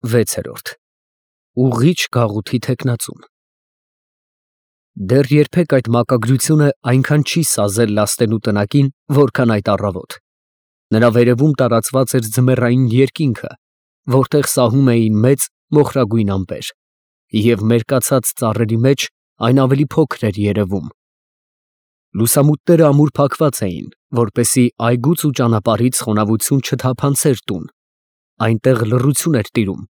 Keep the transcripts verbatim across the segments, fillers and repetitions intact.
վեցերորդ Ուղիչ գաղութի թեկնածուն Դեռ երբեք այդ մակագրությունը այնքան չի սազել լաստենու տնակին, որքան այդ առավոտ. նրա վերևում տարածված էր ձմեռային երկինքը, որտեղ սահում էին մեծ մոխրագույն ամպեր, և մերկացած ծառերի մեջ այն ավելի փոքր էր երևում. լուսամուտները ամուր փակված էին, որպեսզի այգուց ու ճանապարհից խոնավություն չթափանցեր տուն, այնտեղ լռություն էր տիրում,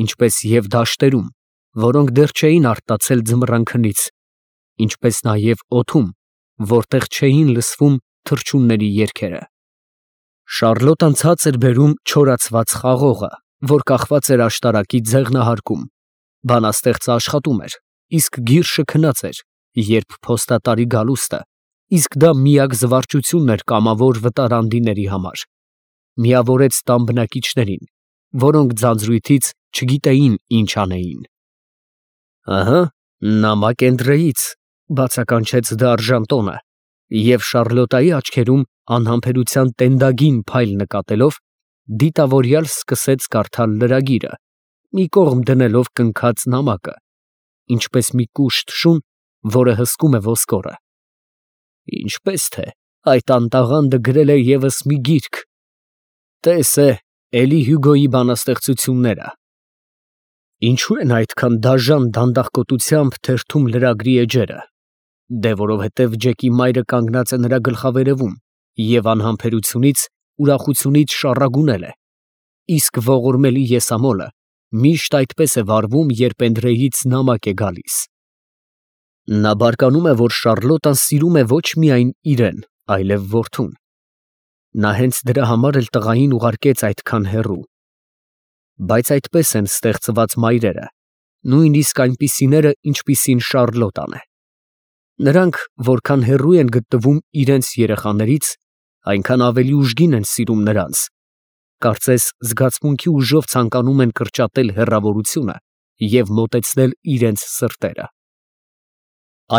ինչպես և դաշտերում, որոնք դեռ չէին արթնացել ձմռան քնից, ինչպես նաև օդում, որտեղ չէին լսվում թռչունների երգերը. Շառլոտան ցած էր բերում չորացված խաղողը, որ կախված էր աշտարակի ձեղնահարկում, բանաստեղծը աշխատում էր, իսկ գիրշը քնած էր, երբ փոստատարի գալուստը, իսկ դա միակ զվարճությունն էր կամավոր վտարանդիների համար, միավորեց տան բնակիչներին, որոնք ձանձրույթից չգիտեին ինչ անեին։ Ահա, նամակ Էնդրեից, բացականչեց դարժանտոնը, և Շառլոտայի աչքերում անհամբերության տենդագին փայլ նկատելով, դիտավորյալ սկսեց կարդալ լրագիրը, մի կողմ դնելով կնքած նամակը, ինչպես մի կուշտ շուն, որը հսկում է ոսկորը։ Ինչպես թե այդ անտաղանդը գրել է ևս մի գիրք, տես է Էլի Հյուգոյի բանաստեղծությունները։ Ինչո՞ւ են այդքան դաժան դանդաղկոտությամբ թերթում լրագրի էջերը, դե որովհետև Ջեկի մայրը կանգնած է նրա գլխավերևում և անհամբերությունից, ուրախությունից շառագունել է, իսկ ողորմելի եսամոլը միշտ այդպես է վարվում, երբ Էնդրեից նամակ է գալիս։ Նա բարկանում է, որ Շառլոտան սիրում է ոչ միայն իրեն, այլև որդուն։ Նա հենց դրա համար էլ տղային ուղարկեց այդքան հեռու։ Բայց այդպես են ստեղծված մայրերը, նույնիսկ այնպիսիները, ինչպիսին Շառլոտան է։ Նրանք, որքան հեռու են գտնվում իրենց երեխաներից, այնքան ավելի ուժգին են սիրում նրանց, կարծես զգացմունքի ուժով ցանկանում են կրճատել հեռավորությունը և մոտեցնել իրենց սրտերը։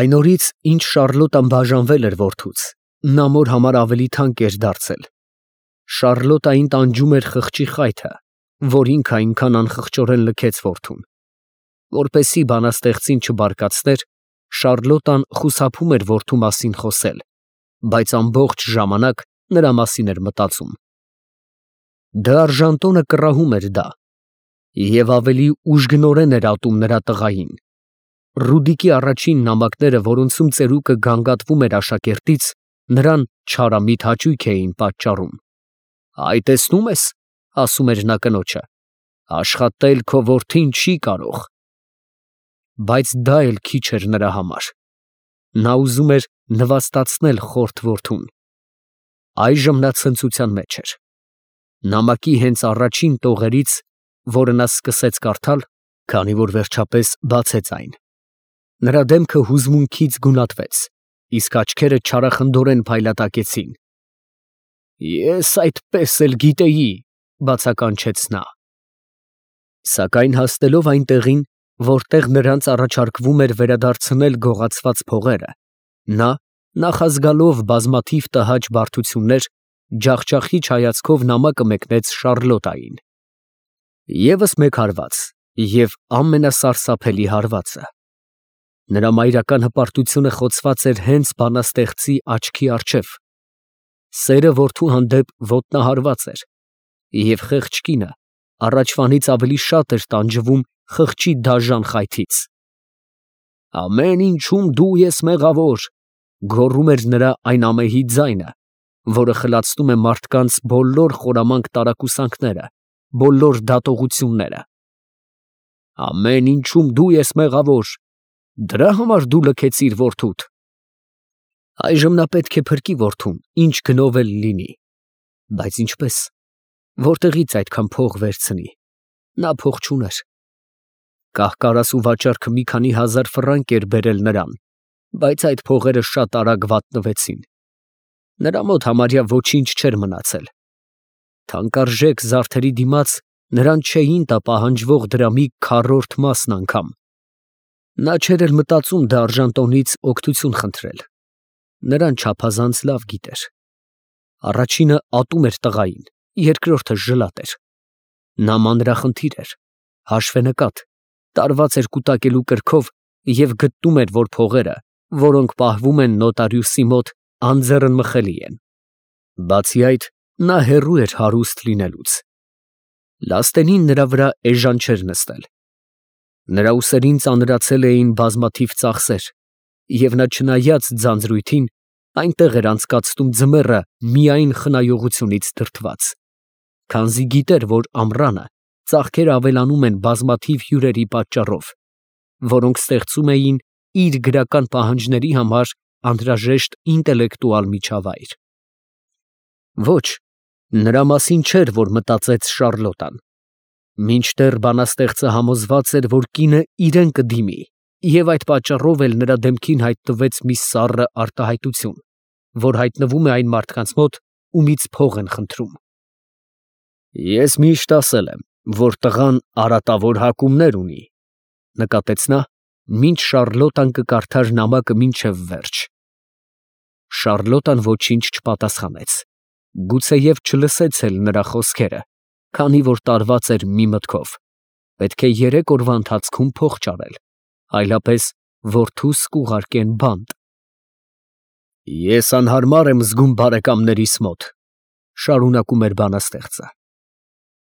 Այն օրից, ինչ Շառլոտան բաժանվել էր որդուց, նա մոր համար ավելի թանկ էր դարձել։ Շառլոտային տանջում էր խղճի խայթը, որ ինքը այնքան անխղճորեն լքեց որդուն։ Որպեսզի բանաստեղծին չբարկացներ, Շառլոտան խուսափում էր որդու մասին խոսել, բայց ամբողջ ժամանակ նրա մասին էր մտածում։ Դարժանտոնը կռահում էր դա, և ավելի ուժգնորեն էր ատում նրա տղային։ Ռուդիկի առաջին նամակները, որոնցում ծերուկը գանգատվում էր աշակերտից, նրան չարամիտ հաճույք էին պատճառում։ Այ տեսնում ես, ասում էր նա կնոջը, աշխատել քո որդին չի կարող։ Բայց դա էլ քիչ էր նրա համար։ Նա ուզում էր նվաստացնել խորթ որդուն։ Այժմ նա ցնծության մեջ էր։ Նամակի հենց առաջին տողերից, որը նա սկսեց կարդալ, քանի որ վերջապես բացեց այն, նրա դեմքը հուզմունքից գունատվեց, իսկ աչքերը չարախնդորեն փայլատակեցին։ Ես այդպես էլ գիտեի, բացականչեց նա։ Սակայն հասնելով այն տեղին, որտեղ նրանց առաջարկվում էր վերադարձնել գողացված փողերը, նա, նախազգալով բազմաթիվ տհաճ բարդություններ, ջախջախիչ հայացքով նամակը մեկնեց Շառլոտային։ Եվս մեկ հարված և ամենասարսափելի հարվածը։ Նրա մայրական հպարտությունը խոցված էր հենց բանաստեղծի աչքի առջև։ Սերը որդու հանդեպ ոտնահարված էր, և խեղճ կինը առաջվանից ավելի շատ էր տանջվում խղճի դաժան խայթից։ Ամեն ինչում դու ես մեղավոր, գոռում էր նրա այն ամեհի ձայնը, որը խլացնում է մարդկանց բոլոր խորամանկ տարակուսանքները, բոլոր դատողությունները։ Ամեն ինչում դու ես մեղավոր, դրա համար դու լքեցիր որդուդ։ Այժմ նա պետք է փրկի որդուն, ինչ գնով էլ լինի։ Բայց ինչպես, որտեղից այդքան փող վերցնի, նա փող չուներ։ Կահ֊կարասու վաճառքը մի քանի հազար ֆրանկ էր բերել նրան, բայց այդ փողերը շատ արագ վատնվեցին։ Նրա մոտ համարյա ոչինչ չէր մնացել։ Թանկարժեք զարդերի դիմաց նրան չէին տա պահանջվող դրամի քառորդ մասն անգամ։ Նա չէր էլ մտածում դարժանտոնից օգնություն խնդրել։ Նրան չափազանց լավ գիտեր։ Առաջինը ատում էր տղային, երկրորդը ժլատ էր։ Նա մանրախնդիր էր, հաշվենկատ, տարված էր կուտակելու կրքով և գտնում էր, որ փողերը, որոնք պահվում են նոտարիուսի մոտ, անձեռնմխելի են։ Բացի այդ, նա հեռու էր հարուստ լինելուց։ Լաստենին նրա վրա էժան չէր նստել։ Նրա ուսերին ծանրացել էին բազմաթիվ ծախսեր, և նա, չնայած ձանձրույթին, այնտեղ էր անցկացնում ձմեռը միայն խնայողությունից դրդված, քանզի գիտեր, որ ամռանը ծախքերը ավելանում են բազմաթիվ հյուրերի պատճառով, որոնք ստեղծում էին իր գրական պահանջների համար անհրաժեշտ ինտելեկտուալ միջավայր։ Ոչ, նրա մասին չէր, որ մտածեց Շառլոտան, մինչդեռ բանաստեղծը համոզված էր, որ կինը իրեն կդիմի, և այդ պատճառով էլ նրա դեմքին հայտնվեց մի սառը արտահայտություն, որ հայտնվում է այն մարդկանց մոտ, ումից փող են խնդրում։ Ես միշտ ասել եմ, որ տղան արատավոր հակումներ ունի, նկատեց նա, մինչ Շառլոտան կկարդար նամակը մինչև վերջ։ Շառլոտան ոչինչ չպատասխանեց, գուցեև չլսեց էլ նրա խոսքերը, քանի որ տարված էր մի մտքով. պետք է երեք օրվա ընթացքում փող ճարել, այլապես որդուս կուղարկեն բանտ։ Ես անհարմար եմ զգում բարեկամներիս մոտ, շարունակում էր բանաստեղծը,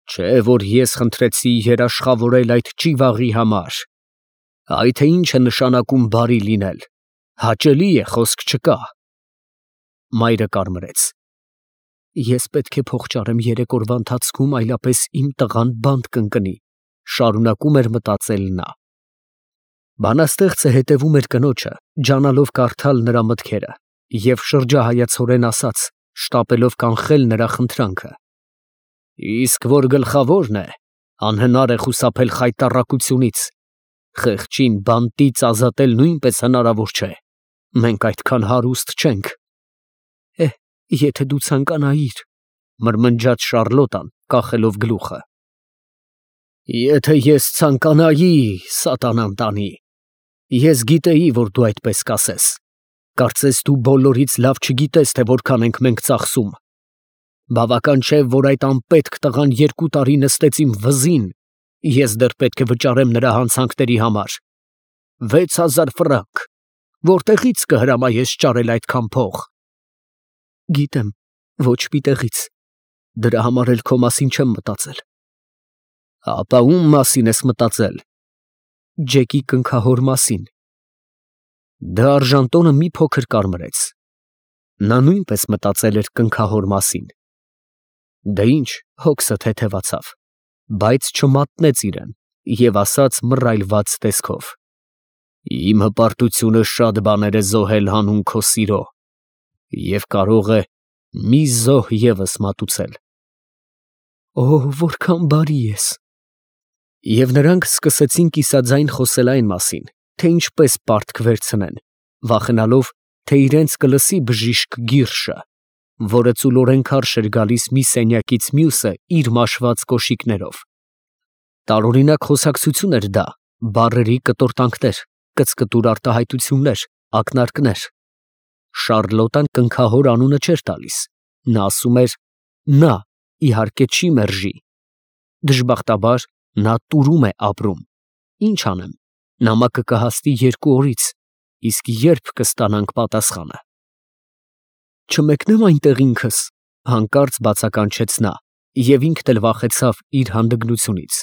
չէ որ ես խնդրեցի երաշխավորել այդ ճիվաղի համար, այ թե ինչ է նշանակում բարի լինել, հաճելի է, խոսք չկա։ Մայրը կարմրեց։ Ես պետք է փող ճարեմ երեք օրվա ընթացքում, այլապես իմ տղան բանտ կընկնի, շարունակում էր մտածել նա։ Բանաստեղծը հետևում էր կնոջը, ջանալով կարդալ նրա մտքերը, և շրջահայացորեն ասաց, շտապելով կանխել նրա խնդրանքը. Իսկ որ գլխավորն է, անհնար է խուսափել խայտառակությունից, խեղճին բանտից ազատել նույնպես հնարավոր չէ, մենք այդքան հարուստ չենք։ Է, եթե դու ցանկանայիր, մրմնջաց Շառլոտան, կախելով գլուխը։ Եթե ես ցանկանայի, սատանան տանի, ես գիտեի, որ դու այդպես կասես, կարծես դու բոլորից լավ չգիտես, թե որքան ենք մենք ծախսում, բավական չէ, որ այդ անպետք տղան երկու տարի նստեց իմ վզին, ես դեռ պետք է վճարեմ նրա հանցանքների համար, վեց հազար ֆրանկ, որտեղից կհրամայես ճարել այդքան փող։ Գիտեմ, ոչ մի տեղից, դրա համար էլ քո մասին չեմ մտածել։ Ապա ում մասին ես մտածել։ Ջեկի կնքահոր մասին։ Դա արժանտոնը մի փոքր կարմրեց։ Նա նույնպես մտածել էր կնքահոր մասին։ Դե ինչ, հոգսը թեթևացավ, բայց չմատնեց իրեն և ասաց մռայլված տեսքով. Իմ հպարտությունը շատ բաներ է զոհել հանուն քո սիրո և կարող է մի զոհ ևս մատուցել։ Օ, որքան բարի ես։ Եվ նրանք սկսեցին կիսաձայն խոսել այն մասին, թե ինչպես պարտք վերցնեն, վախենալով, թե իրենց կլսի բժիշկ Գիրշը, որը ծուլորեն քարշ էր գալիս մի սենյակից մյուսը իր մաշված կոշիկներով։ Տարօրինակ խոսակցություն էր դա, բառերի կտորտանքներ, կծկտուր արտահայտություններ, ակնարկներ։ Շառլոտան կնքահոր անունը չէր տալիս, նա ասում էր. նա, իհարկե, չի մերժի։ Դժբախտաբար, նա տուրում է ապրում։ Ինչ անեմ, նամակը կհասնի երկու օրից, իսկ երբ կստանանք պատասխանը։ Չմեկնեմ այնտեղ ինքս, հանկարծ բացականչեց նա, և ինքն էլ վախեցավ իր հանդգնությունից։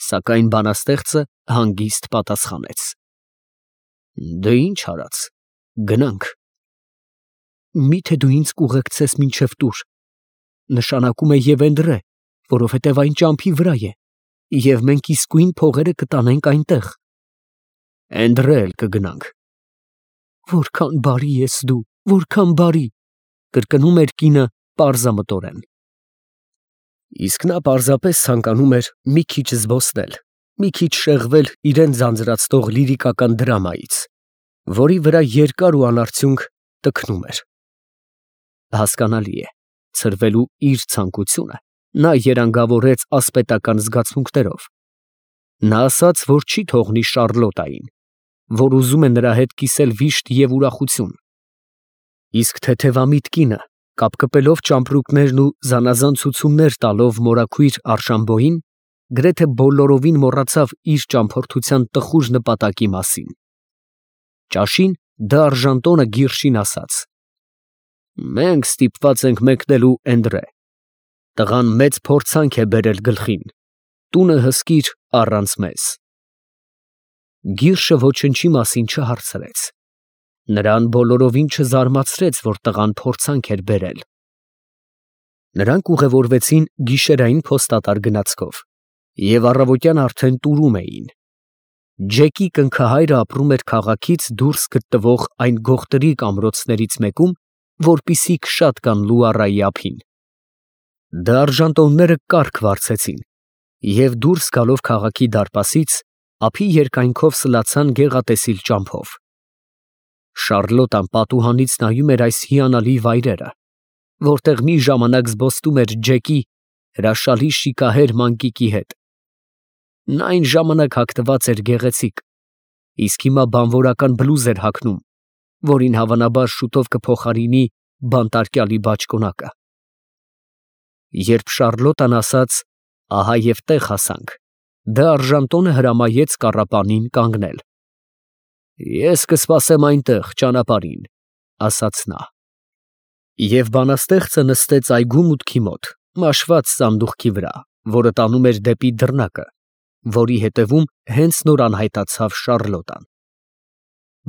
Սակայն բանաստեղծը հանգիստ պատասխանեց. Դե ինչ արած, գնանք։ Միթե դու ինձ կուղեկցես մինչև տուր, նշանակում է Եվենդրե, որովհետև այն ճամփի վրա է, և մենք իսկույն փողերը կտանենք այնտեղ։ Էնդրե էլ կգնանք։ Որքան բարի ես դու, որքան բարի, կրկնում էր կինը պարզամտորեն։ Իսկ նա պարզապես ցանկանում էր մի քիչ զբոսնել, մի քիչ շեղվել իրեն ձանձրացնող լիրիկական դրամայից, որի վրա երկար ու անարդյունք տքնում էր։ Հասկանալի է, ցրվելու իր ցանկությունը նա երանգավորեց ասպետական զգացմունքներով։ Նա ասաց, որ չի թողնի Շառլոտային, որ ուզում է նրա հետ կիսել վիշտ և ուրախություն։ Իսկ թեթևամիտ կինը, կապկպելով ճամպրուկներն ու զանազան ցուցումներ տալով մորաքույր Արշամբոյին, գրեթե բոլորովին մոռացավ իր ճամփորդության տխուր նպատակի մասին։ Ճաշին դարժանտոնը գիրշին ասաց. «Մենք ստիպված ենք մեկնելու Էնդրե։ Տղան մեծ փորձանք է բերել գլխին, տունը հսկիր առանց մեզ»։ Գիրշը ոչնչի մասին չհարցրեց։ Նրան բոլորովին չզարմացրեց, որ տղան փորձանք էր բերել։ Նրանք ուղևորվեցին գիշերային փոստատար գնացքով և առավոտյան արդեն տուրում էին։ Ջեկի կնքահայրը ապրում էր քաղաքից դուրս գտնվող այն գողտրիկ ամրոցներից մեկում, որպիսիք շատ կան Լուարայի ափին։ Դարժանտոնները կառք վարձեցին և դուրս գալով քաղաքի դարպասից, ափի երկայնքով սլացան գեղատեսիլ ճամփով։ Շառլոտան պատուհանից նայում էր այս հիանալի վայրերը, որտեղ մի ժամանակ զբոսնում էր Ջեկի հրաշալի շիկահեր մանկիկի հետ։ Նա այն ժամանակ հագնված էր գեղեցիկ, իսկ հիմա բանվորական բլուզ էր հագնում, որին հավանաբար շուտով կփոխարինի բանտարկյալի բաճկոնակը։ Երբ Շառլոտան ասաց. «Ահա և տեղ հասանք», դարժանտոնը հրամայեց կառապանին կանգնել։ «Ես կսպասեմ այնտեղ, ճանապարհին», ասաց նա։ Եվ բանաստեղծը նստեց այգու մուտքի մոտ, մաշված սանդուղքի վրա, որը տանում էր դեպի դռնակը, որի հետևում հենց նոր անհայտացավ Շառլոտան։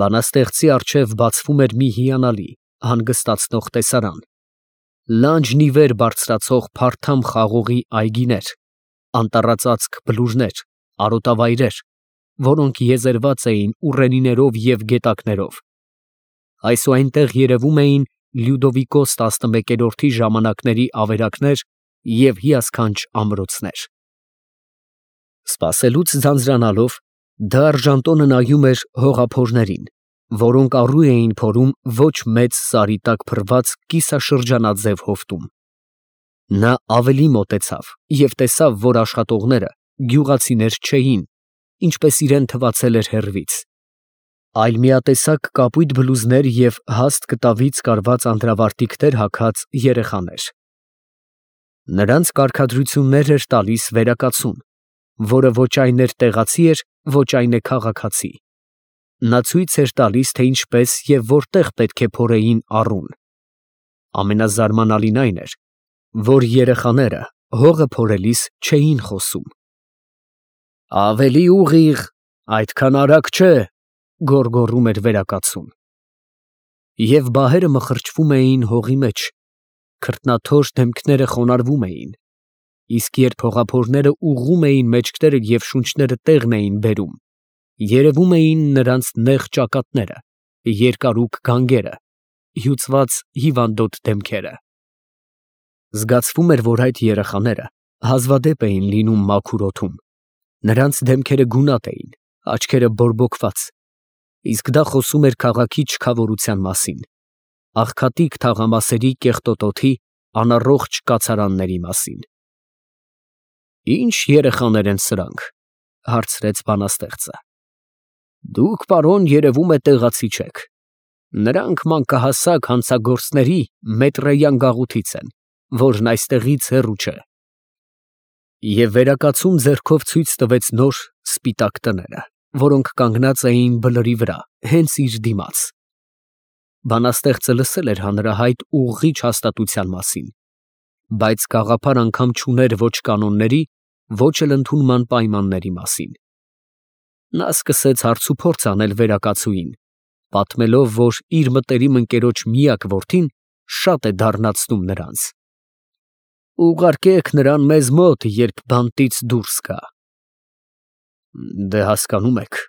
Բանաստեղծի առջև բացվում էր մի հիանալի, հանգստացնող տեսարան. լանջն ի վեր բարձրացող փարթամ խաղողի այգիներ, անտառածածկ բլուրներ, արոտավայրեր, որոնք եզերված էին ուռենիներով և գետակներով։ Այսուհայնտեղ երևում էին Լյուդովիկոս տասնմեկերորդի ժամանակների ավերակներ և հիասքանչ ամրոցներ։ Սպասելուց ձանձրանալով, դարժանտոնը նայում էր հողափորներին, որոնք առու էին փորում ոչ մեծ սարի տակ փռված կիսաշրջանաձև հովտում։ Նա ավելի մոտեցավ և տեսավ, որ աշխատողները գյուղացիներ չէին, ինչպես իրան թվացել էր հեռվից, այլ միատեսակ կապույտ բլուզներ և հաստ կտավից կարված անդրավարտիքներ հագած երեխաներ։ Նրանց կարգադրություններ էր տալիս վերակացուն, որը ոչ այն էր տեղացի էր, ոչ այն է քաղաքացի։ Նա ցույց էր տալիս, թե ինչպես և որտեղ պետք է փորեին առուն։ Ամենազարմանալին այն էր, որ երեխաները հողը փորելիս չէին խոսում։ «Ավելի ուղիղ, այդքան արագ չէ», գոռգոռում էր վերակացուն։ Եվ բահերը մխրճվում էին հողի մեջ, քրտնաթոշ դեմքները խոնարհվում էին, իսկ երբ հողափորները ուղղում էին մեջքները և շունչները տեղն էին բերում, երևում էին նրանց նեղ ճակատները, երկարուկ գանգերը, հյուծված հիվանդոտ դեմքերը։ Զգացվում էր, որ այդ երեխաները հազվադեպ էին լինում մաքուր օդում, նրանց դեմքերը գունատ էին, աչքերը բորբոքված, իսկ դա խոսում էր քաղաքի չքավորության մասին, աղքատիկ թաղամասերի կեղտոտ օդի, անառողջ կացարանների մասին։ «Ի՞նչ երեխաներ են սրանք», հարցրեց բանաստեղծը։ «Դուք, պարոն, երևում է տեղացի չեք։ Նրանք մանկահասակ հանցագործների մետրեյան գաղութից են, որն այստեղից հեռու չէ»։ Եվ վերակացուն ձեռքով ցույց տվեց նոր սպիտակ տները, որոնք կանգնած էին բլրի վրա, հենց իր դիմաց։ Բանաստեղծը լսել էր հանրահայտ ուղղիչ հաստատության մասին, բայց գաղափար անգամ չուներ ոչ կանոնների, ոչ էլ ընդունման պայմանների մասին։ Նա սկսեց հարցուփորձ անել վերակացուին, պատմելով, որ իր մտերիմ ընկերոջ միակ որդին շատ է դառնացնում նրանց։ «Ուղարկեք նրան մեզ մոտ, երբ բանտից դուրս գա»։ «Դե հասկանում եք»,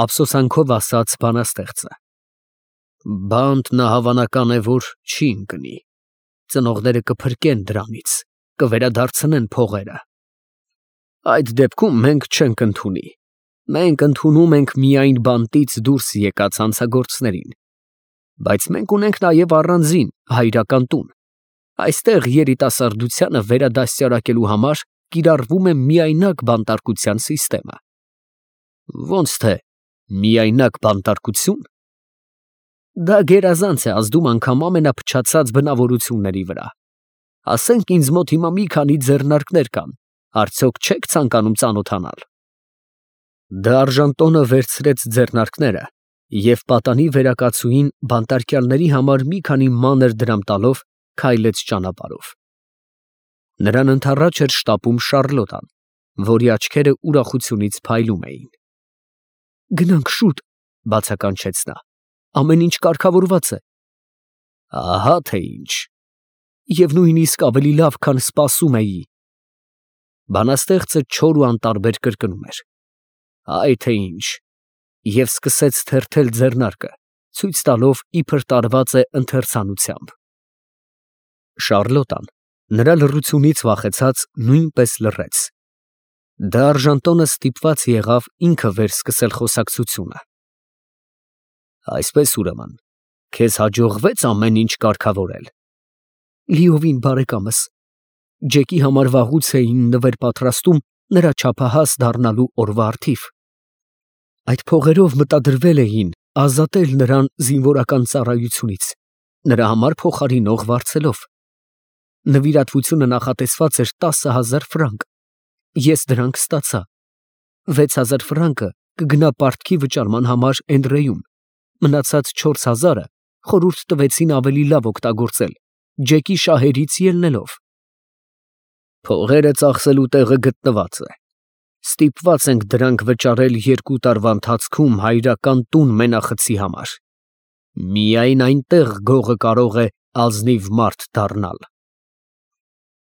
ափսոսանքով ասաց բանաստեղծը, «բանտ նա հավանական է, որ չի ընկնի, ծնողները կփրկեն դրանից, կվերադարձնեն փողերը։ Այդ դեպքում մենք չենք ընդունի, մենք ընդունում ենք միայն բանտից դուրս եկած հանցագործներին, բայց մենք ունենք նաև առանձին հայրական տուն, այստեղ երիտասարդությանը վերադաստիարակելու համար կիրառվում է միայնակ բանտարկության սիստեմը»։ «Ոնց թե միայնակ բանտարկություն»։ «Դա գերազանց է ազդում անգամ ամենափչացած բնավորությունների վրա։ Ասենք ինձ մոտ հիմա մի քանի ձեռնարկներ կան, Արդյոք չեք ցանկանում ծանոթանալ։ Դարժան տոնը վերցրեց ձեռնարկները և պատանի վերակացուին բանտարկյալների համար մի քանի մանր դրամ տալով քայլեց ճանապարհով։ Նրան ընդառաջ էր շտապում Շառլոտան, որի աչքերը ուրախությունից փայլում էին։ Գնանք շուտ, բացականչեց նա, ամեն ինչ կարգավորված է։ Ահա թե ինչ, և նույնիսկ ավելի լավ, քան սպասում էի։ Բանաստեղծը չոր ու անտարբեր կրկնում էր. Այ թե ինչ, և սկսեց թերթել ձեռնարկը, ցույց տալով, իբր տարված է ընթերցանությամբ։ Շառլոտան, նրա լռությունից վախեցած, նույնպես լռեց։ Դարժան տոնը ստիպված եղավ ինքը վերսկսել խոսակցությունը։ Այսպես ուրեմն, քեզ հաջողվե՞ց ամեն ինչ կարգավորել։ Լիովին, բարեկամս, Ջեկի համար վաղուց էին նվեր պատրաստում նրա չափահաս դառնալու օրվա առթիվ։ Այդ փողերով մտադրվել էին ազատել նրան զինվորական ծառայությունից, նրա համար փոխարինող վարձելով։ Նվիրատվությունը նախատեսված էր տասը հազար ֆրանկ, ես դրանք ստացա։ Վեց հազար ֆրանկը կգնա պարտքի վճարման համար Էնդրեում, մնացած չորս հազարը խորհուրդ տվեցին ավելի լավ օգտագործել, Ջեկի շահերից ելնելով։ Փողերը ծախսելու տեղը գտնված է։ Ստիպված ենք դրանք վճարել երկու տարվա ընթացքում հայրական տուն մենախցի համար։ Միայն այնտեղ գողը կարող է ազնիվ մարդ դառնալ։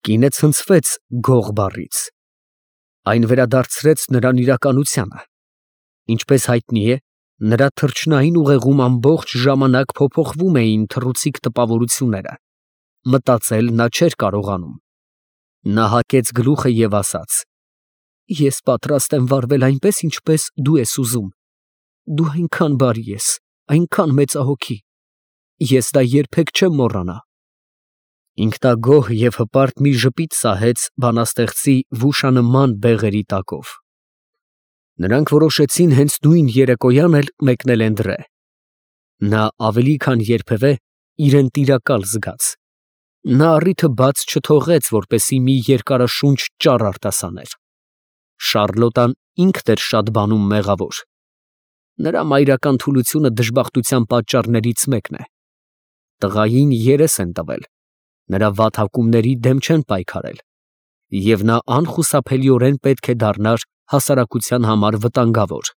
Կինը ցնցվեց գող բառից։ Այն վերադարձրեց նրան իրականությանը։ Ինչպես հայտնի է, նրա թռչնային ուղեղում ամբողջ ժամանակ փոփոխվում էին թռուցիկ տպավորությունները։ Մտածել նա չէր կարողանում։ Նա հակեց գլուխը և ասաց. Ես պատրաստ եմ վարվել այնպես, ինչպես դու ես ուզում։ Դու այնքան բարի ես, այնքան մեծահոգի։ Ես դա երբեք չեմ մոռանա։ Ինքնագոհ և հպարտ մի ժպիտ սահեց բանաստեղծի վուշանման բեղերի տակով։ Նրանք որոշեցին հենց նույն երեկոյան էլ մեկնել Էնդրե։ Նա ավելի քան երբևէ իրեն տիրակալ զգաց։ Նա առիթը բաց չթողեց, որպեսզի մի երկարաշունչ ճառ արտասաներ։ Շառլոտան ինքն էր շատ բանում մեղավոր։ Նրա մայրական թուլությունը դժբախտության պատճառներից մեկն է։ Տղային երես են տվել, նրա վատհակումների դեմ չեն պայքարել, և նա անխուսափելիորեն պետք է դառնար հասարակության համար վտանգավոր։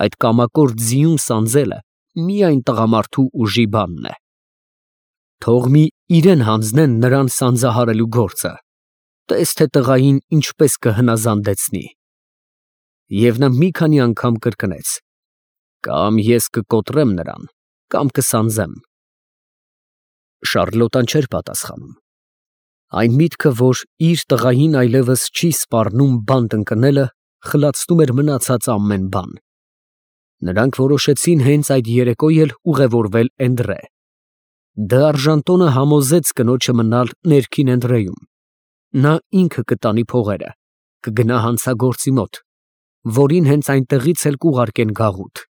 Այդ կամակորտ ձիուն սանձելը միայն տղամարդու ուժի բանն է։ Թող մի իրեն հանձնեն նրան սանձահարելու գործը, տես թե տղային ինչպես կհնազանդեցնի։ Եվ նա մի քանի անգամ կրկնեց. կամ ես կկոտրեմ նրան, կամ կսանձեմ։ Շառլոտան չէր պատասխանում։ Այն միտքը, որ իր տղային այլևս չի սպառնում բանտ ընկնելը, խլացնում էր մնացած ամեն բան։ Նրանք որոշեցին հենց այդ երեկո էլ ուղևորվել Էնդրե։ Դարժան տոնը համոզեց կնոջը մնալ ներքին Էնդրեում։ Նա ինքը կտանի փողերը, կգնա հանցագործի մոտ, որին հենց այնտեղից էլ կուղարկեն գաղութ։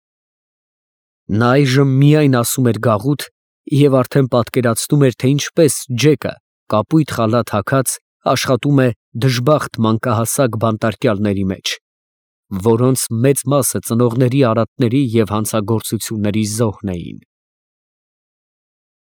Նա այժմ միայն ասում էր գաղութ և արդեն պատկերացնում էր, թե ինչպես Ջեկը, կապույտ խալաթ հագած, աշխատում է դժբախտ մանկահասակ բանտարկյալների մեջ, որոնց մեծ մասը ծնողների արատների և հանցագործությունների զոհն էին։